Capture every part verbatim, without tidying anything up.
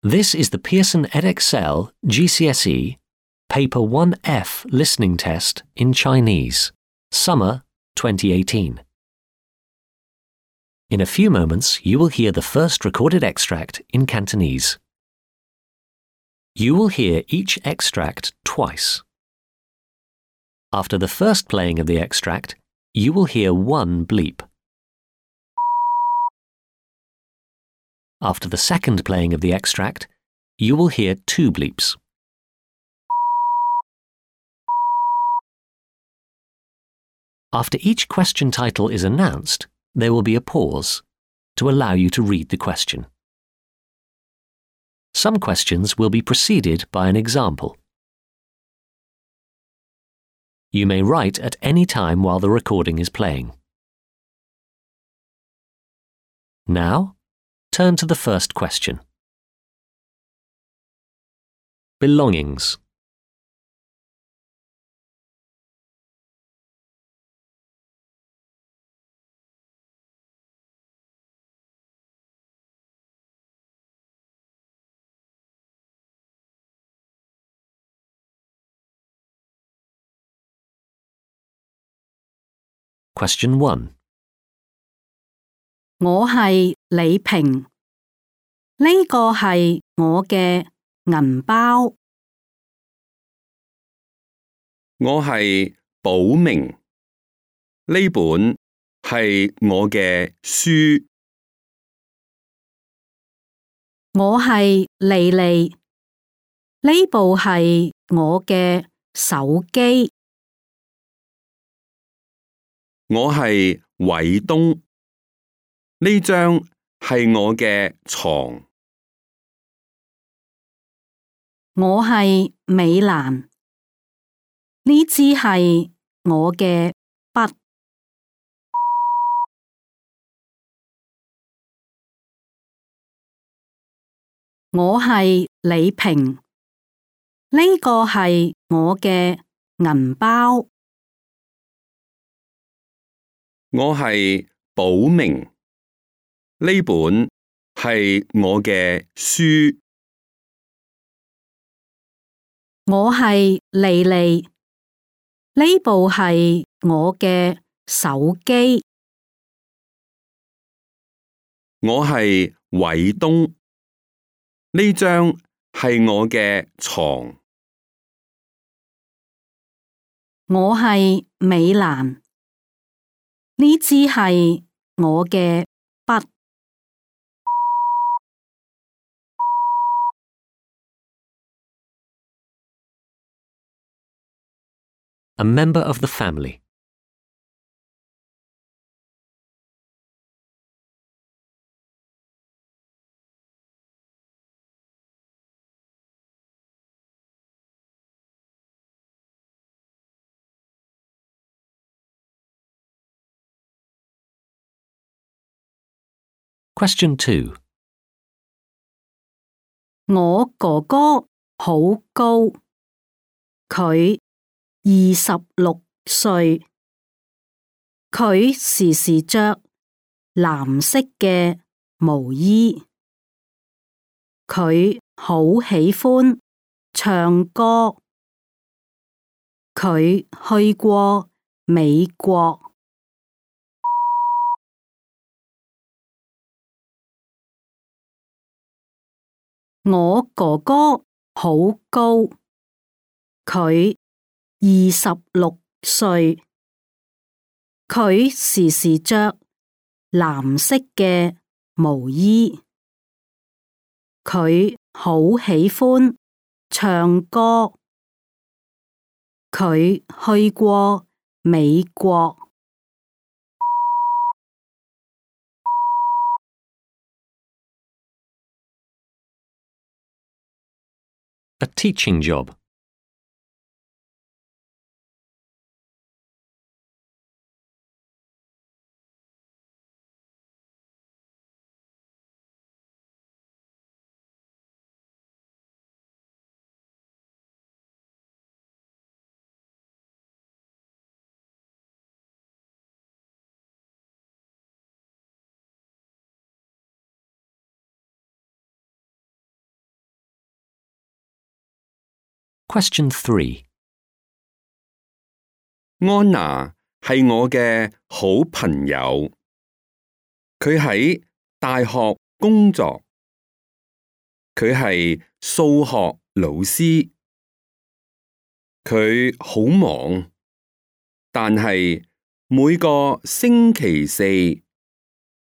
This is the Pearson Edexcel G C S E Paper one F Listening Test in Chinese, Summer twenty eighteen. In a few moments, you will hear the first recorded extract in Cantonese. You will hear each extract twice. After the first playing of the extract, you will hear one bleep. After the second playing of the extract, you will hear two bleeps. After each question title is announced, there will be a pause to allow you to read the question. Some questions will be preceded by an example. You may write at any time while the recording is playing. Now, turn to the first question. Belongings. Question one. 我係李平，呢個係我嘅銀包。我係寶明，呢本係我嘅書。我係莉莉，呢部係我嘅手機。我係偉東，呢張係我嘅床。我係美蘭，呢支係我嘅筆。我係李平，呢個係我嘅銀包。我係寶明，呢本係我嘅書。我係莉莉，呢部係我嘅手機。我係偉東，呢張係我嘅床。我係美蘭，呢支係我嘅筆。A member of the family. Question two. 我哥哥好高，佢二十六歲，佢時時着藍色嘅毛衣，佢好喜歡唱歌，佢去過美國。我哥哥好高，佢二十六歲，佢時時着藍色嘅毛衣，佢好喜歡唱歌，佢去過美國。A teaching job. Question three. 安娜係我嘅好朋友，佢喺大學工作，佢係數學老師，佢好忙，但係每個星期四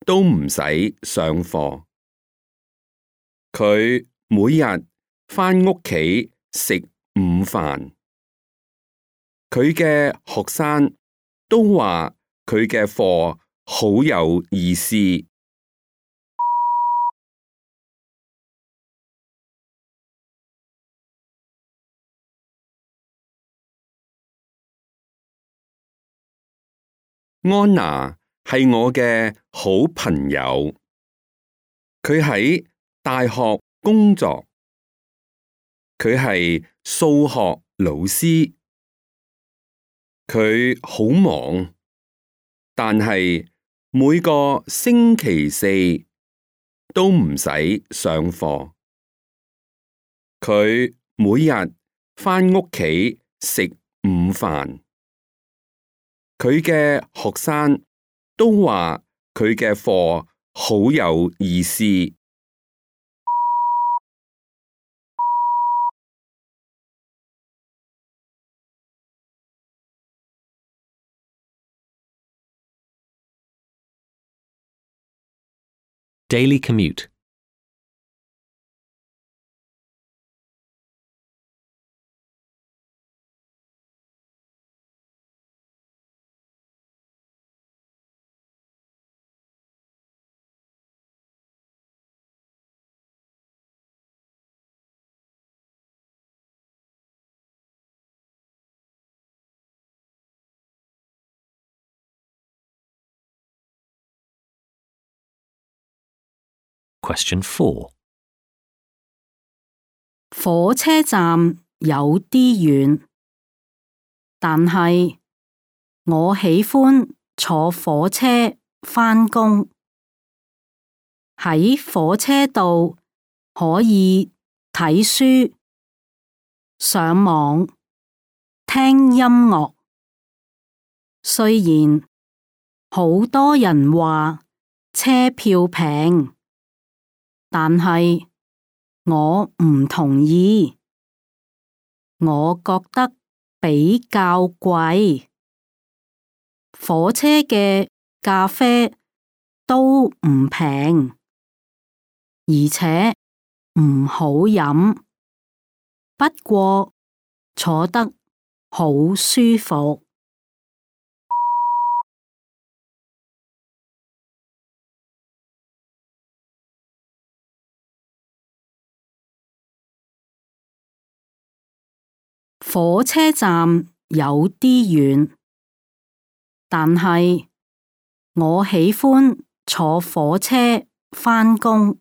都唔使上課。佢每日返屋企食午飯。佢嘅學生都話佢嘅課好有意思。安娜係我嘅好朋友，佢喺大學工作，佢係數學老師，佢好忙，但係每個星期四都唔使上課。佢每日返屋企食午飯。佢嘅學生都話佢嘅課好有意思。Daily commute. Question four. 火車站有啲遠，但係我喜歡坐火車返工。喺火車度可以睇書、上網、聽音樂。雖然好多人話車票平，但係我唔同意，我覺得比較貴。火車嘅咖啡都唔平，而且唔好飲，不過坐得好舒服。火車站有啲遠，但係我喜歡坐火車返工。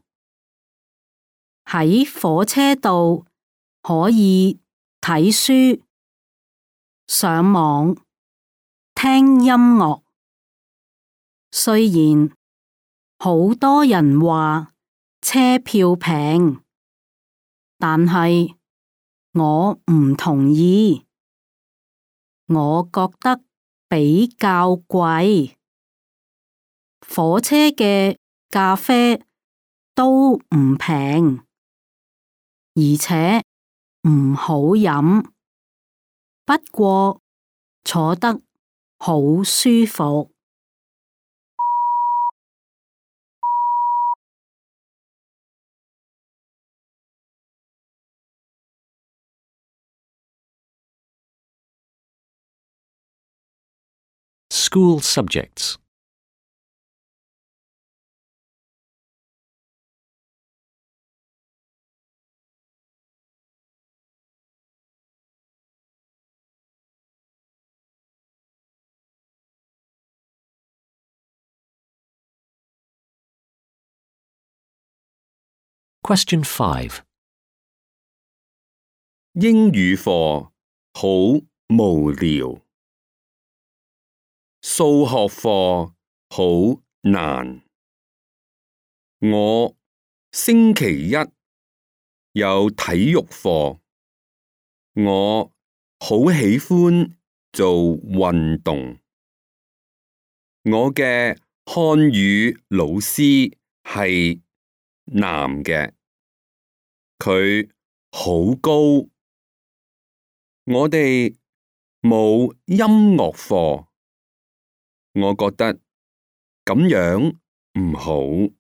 喺火車度可以睇書、上網、聽音樂。雖然好多人話車票平，但係我唔同意，我覺得比較貴。火車嘅咖啡都唔平，而且唔好飲，不過坐得好舒服。School subjects. Question five. 英語課好無聊，數學課好難。我星期一有體育課，我好喜歡做運動。我嘅漢語老師係男嘅，佢好高。我哋冇音樂課，我覺得咁樣唔好。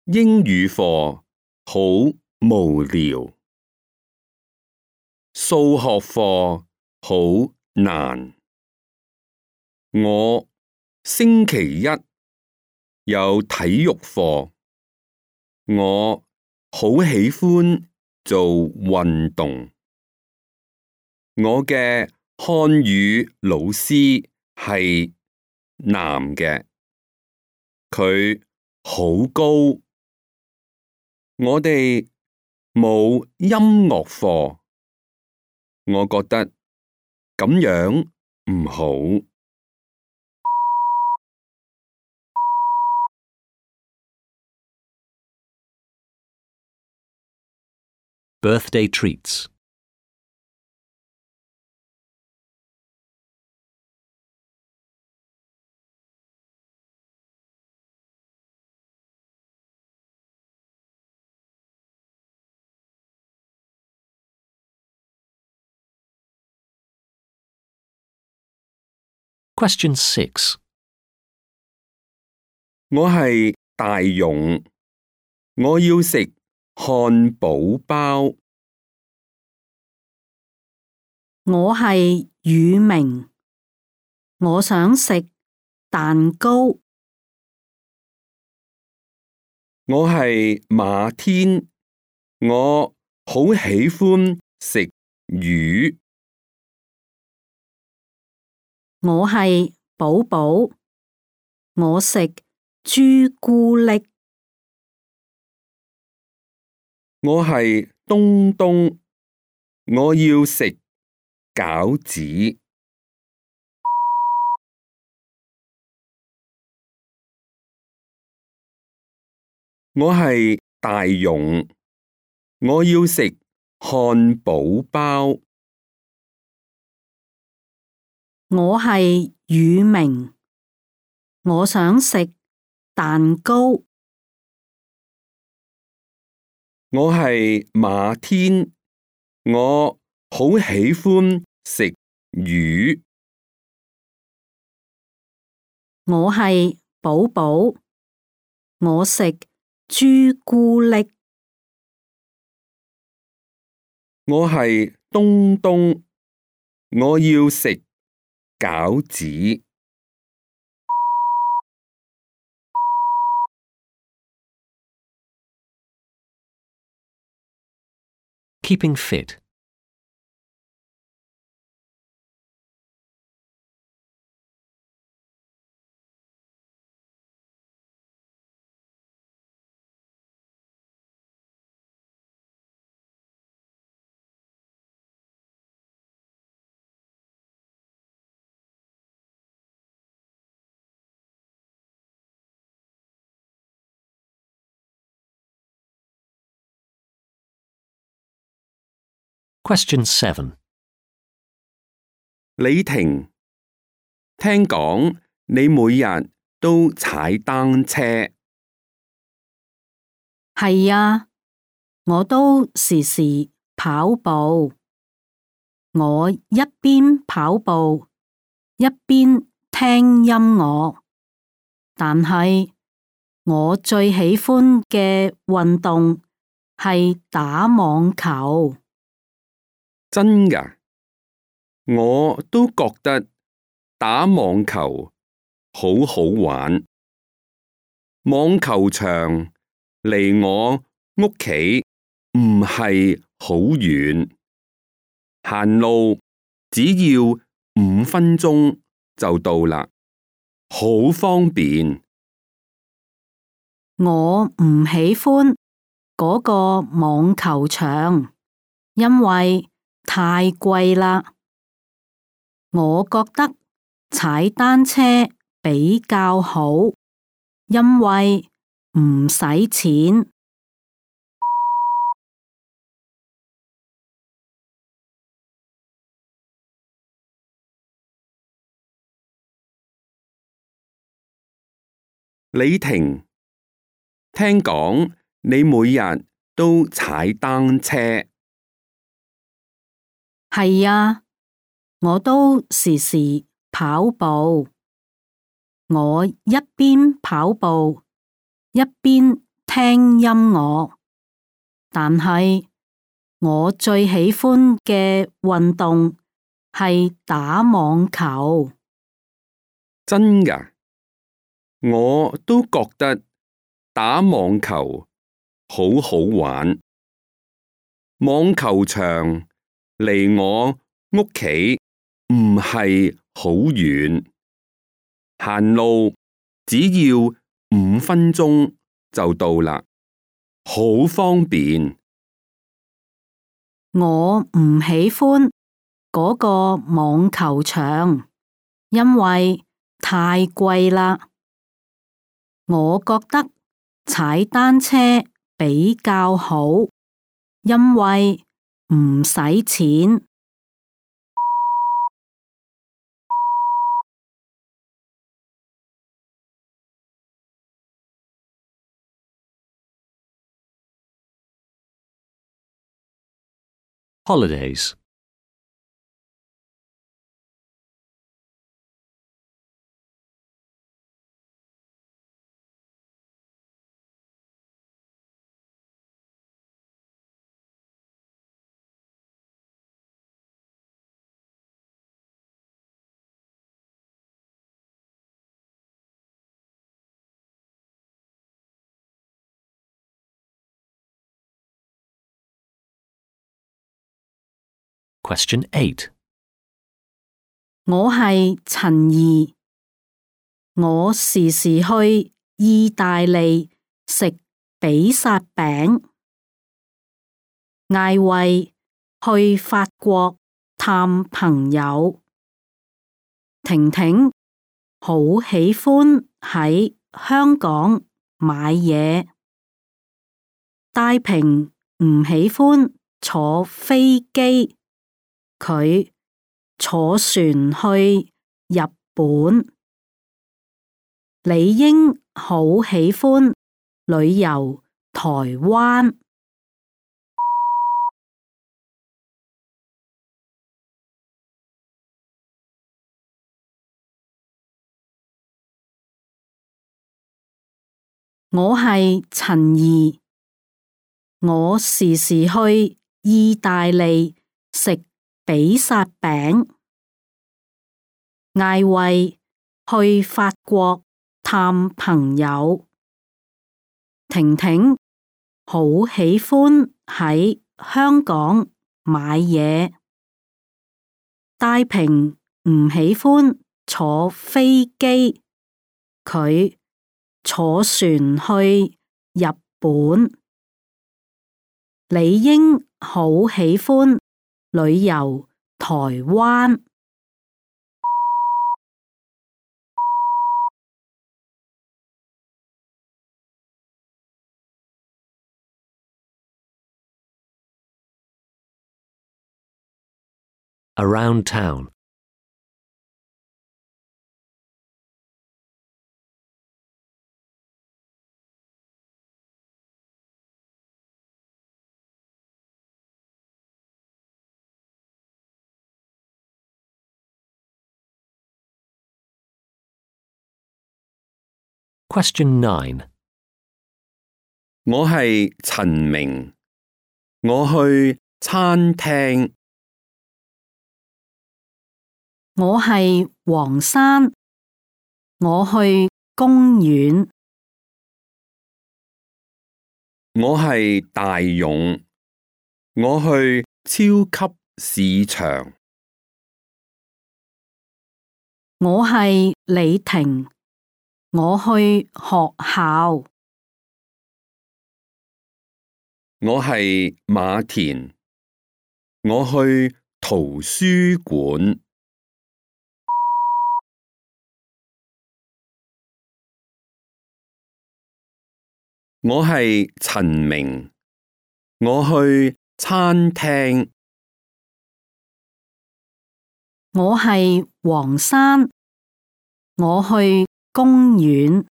英語課好無聊，數學課好難。我星期一有體育課，我好喜歡做運動。我嘅漢語老師係男嘅，佢好高。我哋冇音樂課，我覺得咁樣唔好。Birthday treats. Question six. 我係大勇，我要食漢堡包。我係宇明，我想食蛋糕。我係馬天，我好喜歡食魚。我係寶寶，我食朱古力。我係東東，我要食餃子。我係大勇，我要食漢堡包。我係宇明，我想食蛋糕。我係馬天，我好喜歡食魚。我係寶寶，我食朱古力。我係東東，我要食餃子。Keeping fit. Question seven. 李婷，聽講你每日都踩單車。係啊，我都時時跑步。我一邊跑步，一邊聽音樂。但係我最喜歡嘅運動係打網球。真㗎？我都覺得打網球好好玩。網球場離我屋企唔係好遠，行路只要五分鐘就到啦，好方便。我唔喜歡嗰個網球場，因為太貴啦。我覺得踩單車比較好，因為唔使錢。李婷，聽講你每日都踩單車。係啊，我都時時跑步。我一邊跑步，一邊聽音樂。但係我最喜歡嘅運動係打網球。真㗎？我都覺得打網球好好玩。網球場離我屋企唔係好遠，行路只要五分鐘就到啦，好方便。我唔喜歡嗰個網球場，因為太貴啦。我覺得踩單車比較好，因為唔使錢。Holidays. Question eight. 我係陳怡，我時時去意大利食比薩餅。艾慧去法國探朋友。婷婷好喜歡喺香港買嘢。戴平唔喜歡坐飛機，佢坐船去日本。李英好喜歡旅遊台灣。我係陳怡，我時時去意大利食比薩餅。艾慧去法國探朋友。婷婷好喜歡喺香港買嘢。戴平唔喜歡坐飛機，佢坐船去日本。李英好喜歡旅遊台灣。Around town. Question nine. 我係陳明，我去餐廳。我係黃山，我去公園。我係大勇，我去超級市場。我係李婷，我去學校。我係馬田，我去圖書館。我係陳明，我去餐廳。我係黃山，我去公園。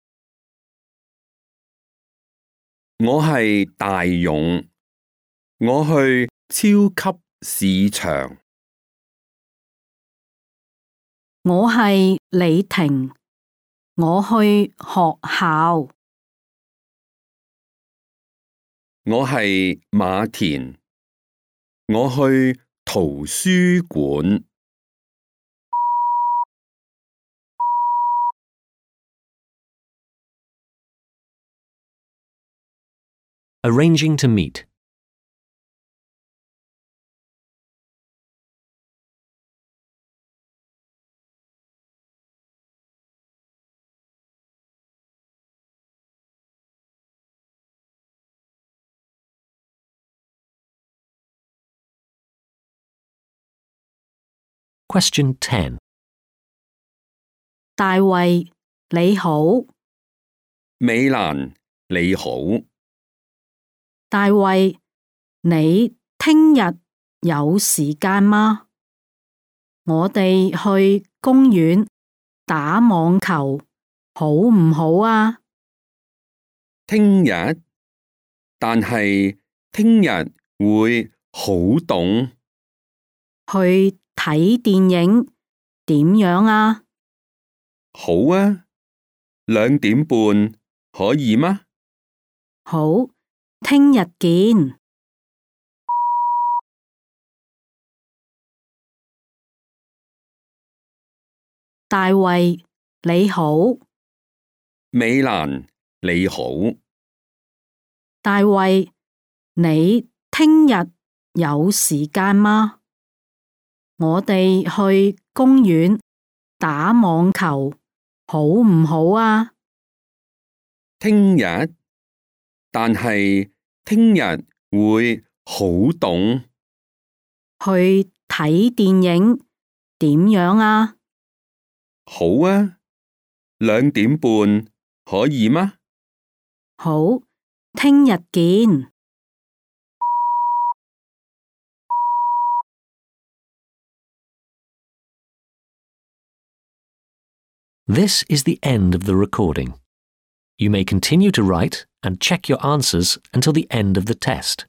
我係大勇，我去超級市場。我係李婷，我去學校。我係馬田，我去圖書館。Arranging to meet. Question ten. 大衛，你好。美蘭，你好。大衛，你聽日有時間嗎？我哋去公園打網球，好唔好啊？聽日，但係聽日會好凍。去睇電影點樣啊？好啊，兩點半可以嗎？好，聽日見。大衛，你好。美蘭，你好。大衛，你聽日有時間嗎？我哋去公園打網球，好唔好啊？聽日，但係聽日會好凍。去睇電影點樣啊？好啊，兩點半可以嗎？好，聽日見。This is the end of the recording. You may continue to write and check your answers until the end of the test.